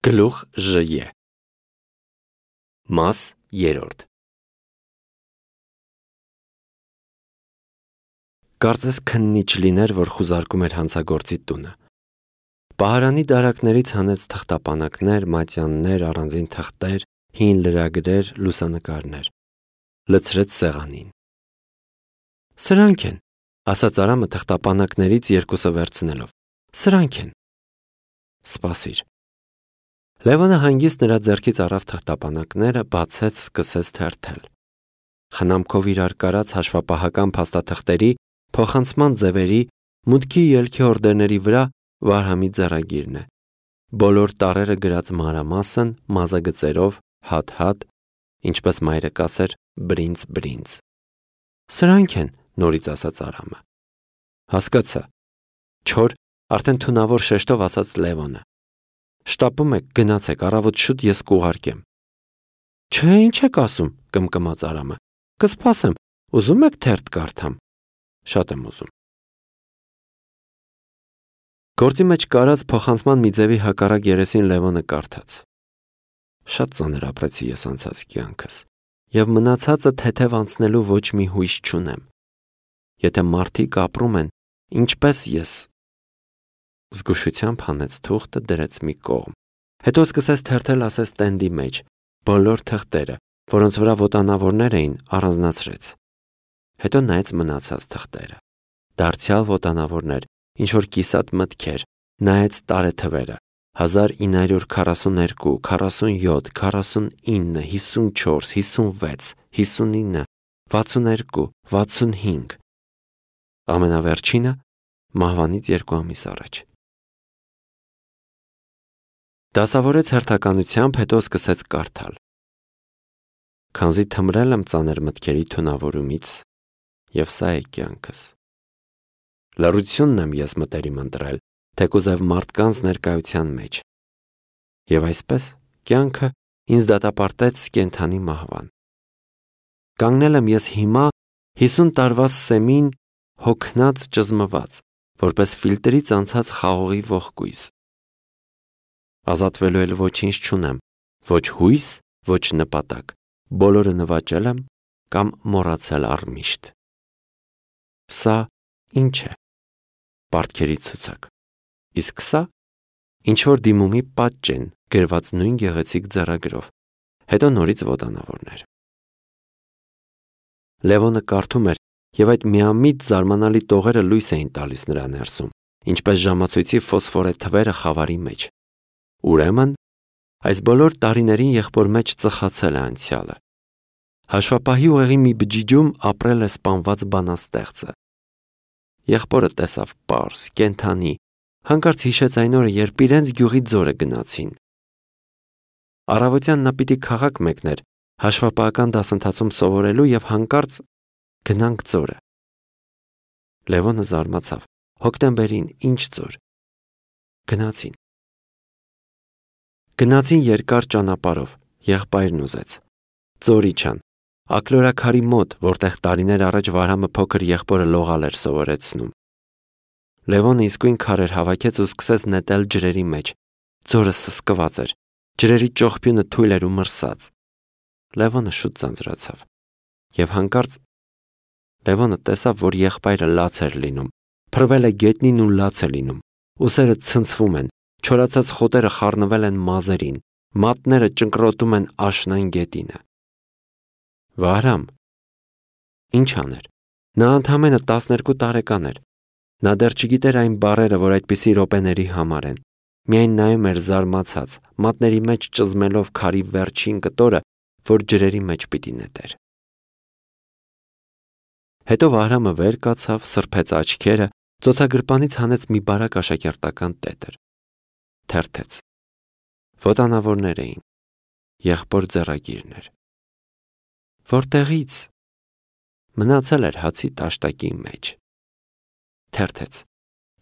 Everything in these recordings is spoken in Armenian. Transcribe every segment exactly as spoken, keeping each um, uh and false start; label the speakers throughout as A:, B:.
A: Գլուխ Ժ. Մաս երրորդ. Կարծես քննիչ լիներ, որ խուզարկում էր հանցագործի տունը։ Պահարանի դարակներից հանեց թղթապանակներ, մատյաններ, առանձին թղթեր, հին լրագրեր, լուսանկարներ։ Լցրեց սեղանին։ Սրանք են, ասաց Արամը թղթապանակներից երկուսը վերցնելով։ Սրանք են։ Սպասիր։ Լևոնը հանգիստ նրա ձեռքից առավ թղթապանակները, բացեց, սկսեց թերթել։ Խնամքով իրար կարած հաշվապահական փաստաթղթերի, փոխանցման ձևերի, մուտքի ելքի օրդերների վրա Վարհամի ձեռագիրն է։ Բոլոր տառերը գրած մանրամասն, մազագծերով, հատ-հատ, ինչպես մայրը կասեր, բրինց-բրինց։ Սրանք են, նորից ասաց Արամը։ Հասկացա։ Չոր, արդեն թունավոր շեշտով ասաց Լևոնը։ Շտապում եք, գնացեք, առավոտ շուտ ես կուղարկեմ։ Չէ, ինչ եք ասում, կմկմաց Արամը։ Կսպասեմ, ուզում եք թերթ կարդամ։ Շատ եմ ուզում։ Գործի մեջ կարած փոխանցման մի ձևի հակառակ երեսին Լևոնը կարդաց։ Շատ ծանր ապրեցի ես անցած կյանքս, եւ մնացածը թեթև անցնելու ոչ մի հույս չունեմ։ Եթե մարդիկ ապրում են, ինչպես ես։ Զգուշությամբ հանեց թուղթը, դրեց մի կողմ։ Հետո սկսեց թերթել ասես տենդի մեջ, բոլոր թղթերը, որոնց վրա ոտանավորներ էին, առանձնացրեց։ Հետո նայեց մնացած թղթերը։ Դարձյալ ոտանավորներ, ինչ-որ կիսատ մտքեր, նայեց տարեթվերը՝ հազար ինը հարյուր քառասուներկու, քառասունյոթ, քառասունինը, հիսունչորս, հիսունվեց, հիսունինը, վաթսուներկու, վաթսունհինգ։ Ամենավերջինը մահվանից երկու ամիս առաջ։ Դասավորեց հերթականությամբ, հետո սկսեց կարդալ։ Քանզի թմրել եմ ծանր մտքերի թունավորումից, եւ սա է կյանքս։ Լռությունն եմ ես մտերիմ ընտրել, թեկուզև մարդկանց ներկայության մեջ։ Եվ այսպես կյանքը ինձ դատապարտեց կենդանի մահվան։ Կանգնել եմ ես հիմա հիսուն տարվա սեմին հոգնած ճզմված, որպես ֆիլտրից անցած խաղողի ողկույզ։ Ազատվելու էլ ոչինչ չունեմ, ոչ հույս, ոչ նպատակ, բոլորը նվաճել եմ կամ մոռացել առմիշտ։ Սա ինչ է։ Պարտքերի ցուցակ։ Իսկ սա ինչ-որ դիմումի պատճ են, գրված նույն գեղեցիկ ձեռագրով, հետո նորից ոտանավորներ։ Լևոնը կարդում էր, եւ այդ միամիտ զարմանալի տողերը լույս էին տալիս նրա ներսում, ինչպես ժամացույցի ֆոսֆորե թվերը խավարի մեջ։ Ուրեմն, այս բոլոր տարիներին եղբոր մեջ ծխացել է անցյալը։ Հաշվապահի ուղեղի մի բջիջում ապրել է սպանված բանաստեղծը։ Եղբորը տեսավ պարզ, կենդանի, հանկարծ հիշեց այն օրը, երբ իրենց գյուղի ձորը գնացին։ Առավոտյան նա պիտի քաղաք մեկներ, հաշվապահական դասընթացում սովորելու եւ հանկարծ գնանք ձորը։ Լևոնը զարմացավ։ Հոկտեմբերին ինչ ձոր։ Գնացին։ Գնացին երկար ճանապարհով, եղբայրն ուզեց։ Ձոր իջան, ակլորաքարի մոտ, որտեղ տարիներ առաջ Վարհամը փոքր եղբորը լողալ էր սովորեցնում։ Լևոնը իսկույն քարեր հավաքեց ու սկսեց նետել ջրերի մեջ։ Ձորը սսկված էր, ջրերի ճողփյունը թույլ էր ու մրսած։ Լևոնը շուտ ձանձրացավ։ Եվ հանկարծ Լևոնը տեսավ, որ եղբայրը լաց էր լինում, փռվել է գետնին ու լաց է լինում, ուսերը ցնցվում են, չորացած խոտերը խառնվել են մազերին, մատները ճնկրոտում են աշնան գետինը։ Վարհամ։ Ինչ աներ։ Նա ընդամենը տասներկու տարեկան էր։ Նա դեռ չգիտեր այն բառերը, որ այդպիսի րոպեների համար են։ Միայն նայում էր զարմացած, մատների մեջ ճզմելով քարի վերջին կտորը, որ ջրերի մեջ պիտի նետեր։ Հետո Վարհամը վեր կացավ, սրբեց աչքերը, ծոցագրպանից հանեց մի բարակ աշակերտական տետր։ Թերթեց։ Ոտանավորներ էին։ Եղբոր ձեռագիրներ։ Որտեղից։ Մնացել էր հացի տաշտակի մեջ։ Թերթեց։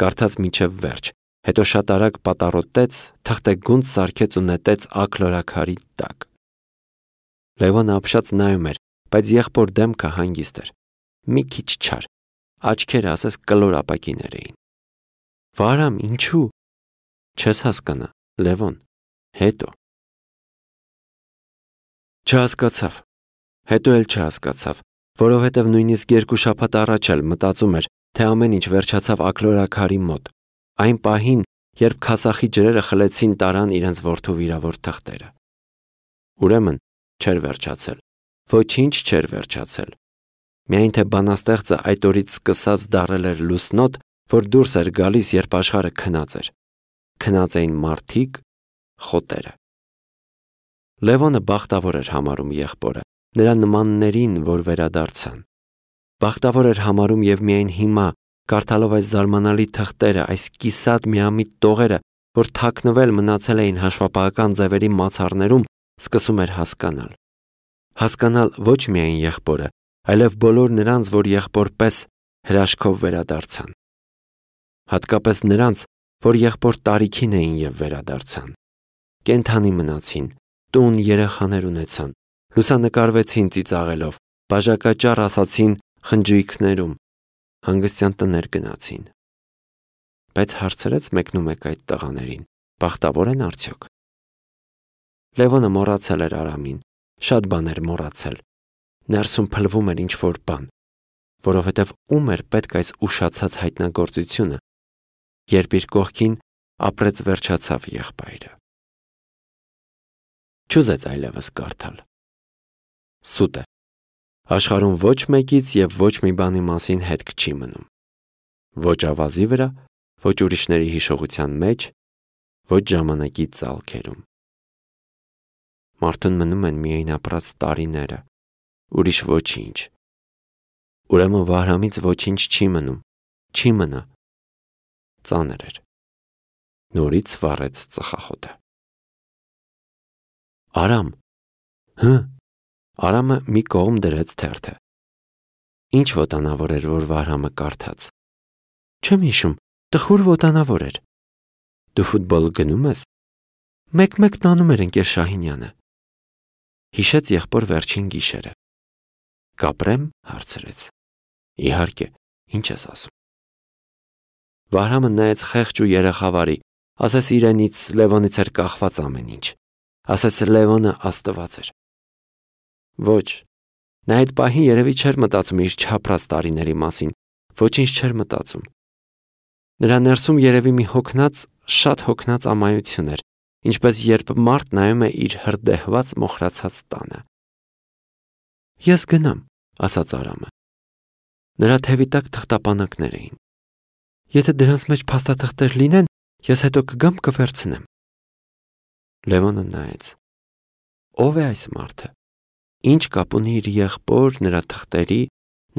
A: Կարդաց մինչև վերջ, հետո շատ արագ պատառոտեց, թղթեգունդ սարքեց ու նետեց ակլորաքարի տակ։ Լևոնը ապշած նայում էր, բայց եղբոր դեմքը հանգիստ էր։ Մի քիչ չար, աչքերը ասես կլոր ապակիներ էին։ Վարհամ, ինչու։ Չես հասկանա, Լևոն, Հետո։ Չհասկացավ։ Հետո էլ չհասկացավ, որովհետև նույնիսկ երկու շաբաթ առաջ էլ մտածում էր, թե ամեն ինչ վերջացավ ակլորաքարի մոտ, այն պահին, երբ քասախի ջրերը խլեցին տարան իրենց որդու վիրավոր թղթերը։ Ուրեմն չէր վերջացել, ոչինչ չէր վերջացել։ Միայն թե բանաստեղծը այդ օրից սկսած դառել էր լուսնոտ, որ դուրս էր գալիս, երբ աշխարհը քնած էր։ Քնած էին մարդիկ, խոտերը։ Լևոնը բախտավոր էր համարում եղբորը, նրա նմաններին, որ վերադարձան։ Բախտավոր էր համարում և միայն հիմա, կարդալով այս զարմանալի թղթերը, այս կիսատ միամիտ տողերը, որ թաքնվել մնացել էին հաշվապահական ձևերի մացառներում, սկսում էր հասկանալ։ Հասկանալ ոչ միայն եղբորը, այլև բոլոր նրանց, որ եղբորպես հրաշքով վերադարձան։ Հատկապես նրանց, որ եղբոր տարիքին էին և վերադարձան։ Կենդանի մնացին, տուն երեխաներ ունեցան, լուսանկարվեցին ծիծաղելով, բաժակաճառ ասացին խնջույքներում, հանգստյան տներ գնացին։ Բայց հարցրեց մեկնումեկ այդ տղաներին, բախտավոր են արդյոք։ Լևոնը մոռացել էր Արամին, շատ բան էր մոռացել։ Ներսում փլվում էր ինչ-որ բան, որովհետև ում էր պետք այս ուշացած հայտնագործությունը, երբ իր կողքին ապրեց վերջացավ եղբայրը։ Չուզեց այլևս կարդալ։ Սուտ է։ Աշխարհում ոչ մեկից և ոչ մի բանի մասին հետք չի մնում։ Ոչ ավազի վրա, ոչ ուրիշների հիշողության մեջ, ոչ ժամանակի ծալքերում։ Մարդուն մնում են միայն ապրած տարիները, ուրիշ ոչինչ։ Ուրեմն Վահրամից ոչինչ չի մնում, չի մնա։ Ծանր էր։ Նորից վառեց ծխախոտը։ Արամ։ Հը։ Արամը մի կողմ դրեց թերթը։ Ինչ ոտանավոր էր, որ Վահրամը կարդաց։ Չեմ հիշում, տխուր ոտանավոր էր։ Դու ֆուտբոլ գնում ես։ Մեկ-մեկ տանում էր ընկեր Շահինյանը։ Հիշեց եղբոր վերջին գիշերը։ Կապրեմ, հարցրեց։ Իհարկե, ինչ ես ասում։ Վահրամը նայեց խեղճ ու երեխավարի, ասես իրենից Լևոնից էր կախված ամեն ինչ, ասես Լևոնը աստված էր։ Ոչ, նա այդ պահին երևի չէր մտածում իր չապրած տարիների մասին, ոչինչ չէր մտածում։ Նրա ներսում երևի մի հոգնած, շատ հոգնած ամայություն էր, ինչպես երբ մարդ նայում է իր հրդեհված մոխրացած տանը։ Ես գնամ, ասաց Արամը։ Նրա թևի տակ թղթապանակներ էին։ Եթե դրանց մեջ փաստաթղթեր լինեն, ես հետո կգամ կվերցնեմ։ Լևոնը նայեց։ Ո՞վ է այս մարդը։ Ինչ կապ ունի իր եղբոր, նրա թղթերի,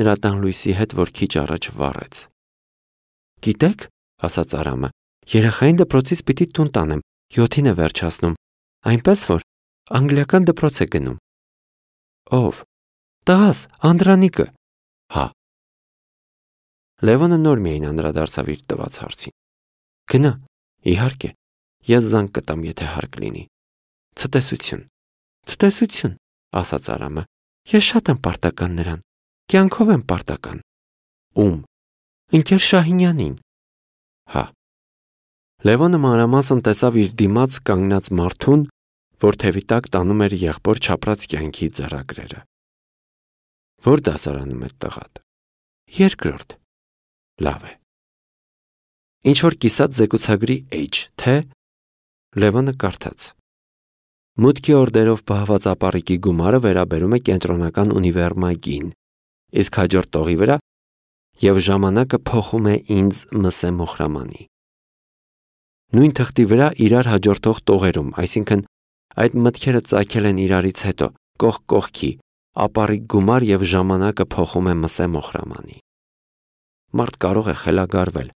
A: նրա տան լույսի հետ, որ քիչ առաջ վառեց։ Գիտեք, ասաց Արամը, երեխային դպրոցից պիտի տուն տանեմ, յոթին է վերջացնում, այնպես որ անգլիական դպրոց է գնում։ Ո՞վ։ Տղաս, Անդրանիկը։ Հա։ Լևոնը նոր միայն անդրադարձավ իր տված հարցին։ Գնա, իհարկե, ես զանգ կտամ, եթե հարկ լինի։ Ցտեսություն։ Ցտեսություն, ասաց Արամը։ Ես շատ եմ պարտական նրան։ Կյանքով եմ պարտական։ Ում։ Ընկեր Շահինյանին։ Հա։ Լևոնը մանրամասն տեսավ իր դիմաց կանգնած մարդուն, որ թևի տակ տանում էր եղբոր չապրած կյանքի ձեռագրերը։ Որ դասարանում է տղադ։ Երկրորդ։ Լավ է։ Ինչ որ կիսատ զեկուցագրի H, թե Լևոնը կարդաց։ Մուտքի օրդերով պահված ապառիկի գումարը վերաբերում է կենտրոնական ունիվերմագին, իսկ հաջորդ տողի վրա և ժամանակը փոխում է ինձ Մսե Մոխրամանի։ Նույն թղթի վրա իրար հաջորդող տողերում, այսինքն այդ մտքերը ծագել են իրարից հետո, կողք կողքի, ապառիկ գումար և ժամանակը փոխում է Մսե Մոխրամանի։ Մարդ կարող է խելագարվել։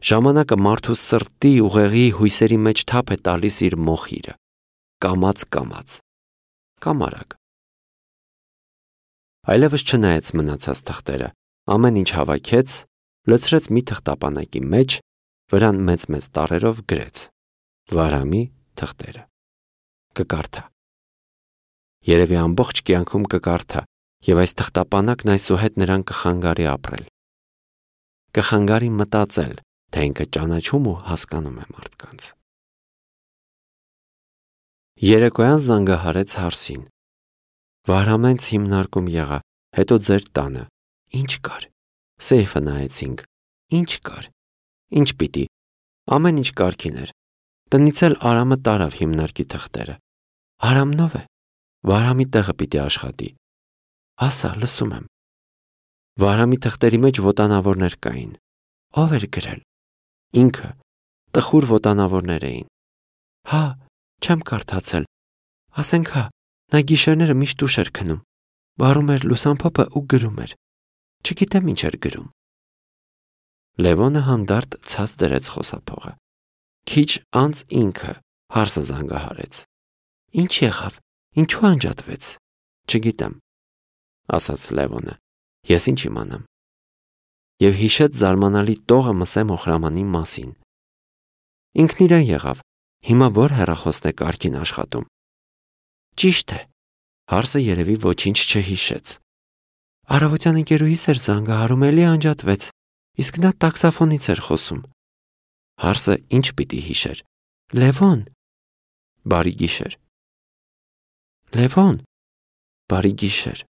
A: Ժամանակը մարդու սրտի ուղեղի հույսերի մեջ թափ է տալիս իր մոխիրը, կամաց-կամաց, կամ արագ։ Այլևս չնայեց մնացած թղթերը, ամեն ինչ հավաքեց, լցրեց մի թղթապանակի մեջ, վրան մեծ-մեծ տառերով գրեց. Վահրամի թղթերը։ Կկարդա։ Երևի ամբողջ կյանքում կկարդա, և այս թղթապանակն այսուհետ նրան կխանգարի ապրել։ Կխանգարի մտածել, թե ինքը ճանաչում ու հասկանում է մարդկանց։ Երեկոյան զանգահարեց Հարսին։ Վարամենց հիմնարկում եղա, հետո ձեր տանը։ Ինչ կար։ Սեյֆը նայեցինք։ Ինչ կար։ Ինչ պիտի։ Ամեն ինչ կարգին էր։ Տնից էլ Արամը տարավ հիմնարկի թղթերը։ Արամնով է։ Վարամի տեղը պիտի աշխատի։ Ասա, լսում եմ։ Վարամի թղթերի մեջ ոտանավորներ կային։ Ո՞վ էր գրել։ Ինքը։ Տխուր ոտանավորներ էին։ Հա, չեմ կարդացել։ Ասենք հա, նա գիշերները միշտ ուշ էր քնում։ Վարում էր լուսամփոփը ու գրում էր։ Չգիտեմ ինչ էր գրում։ Լևոնը հանդարտ ցած դրեց խոսափողը։ Քիչ անց ինքը Հարսը զանգահարեց։ Ինչ եղավ։ Ինչու անջատվեց։ Չգիտեմ, ասաց Լևոնը։ Ես ինչ իմանամ։ Եվ հիշեց զարմանալի տողը Մսե Մոխրամանի մասին։ Ինքն իրեն եղավ։ Հիմա որ հեռախոսն է կարգին աշխատում։ Ճիշտ է։ Հարսը երևի ոչինչ չհիշեց։ Առավոտյան ընկերուհիս էր զանգահարում, էլի անջատվեց, իսկ նա տաքսաֆոնից էր խոսում։ Հարսը ինչ պիտի հիշեր։ Լևոն։ Բարի գիշեր։ Լևոն։ Բարի գիշեր։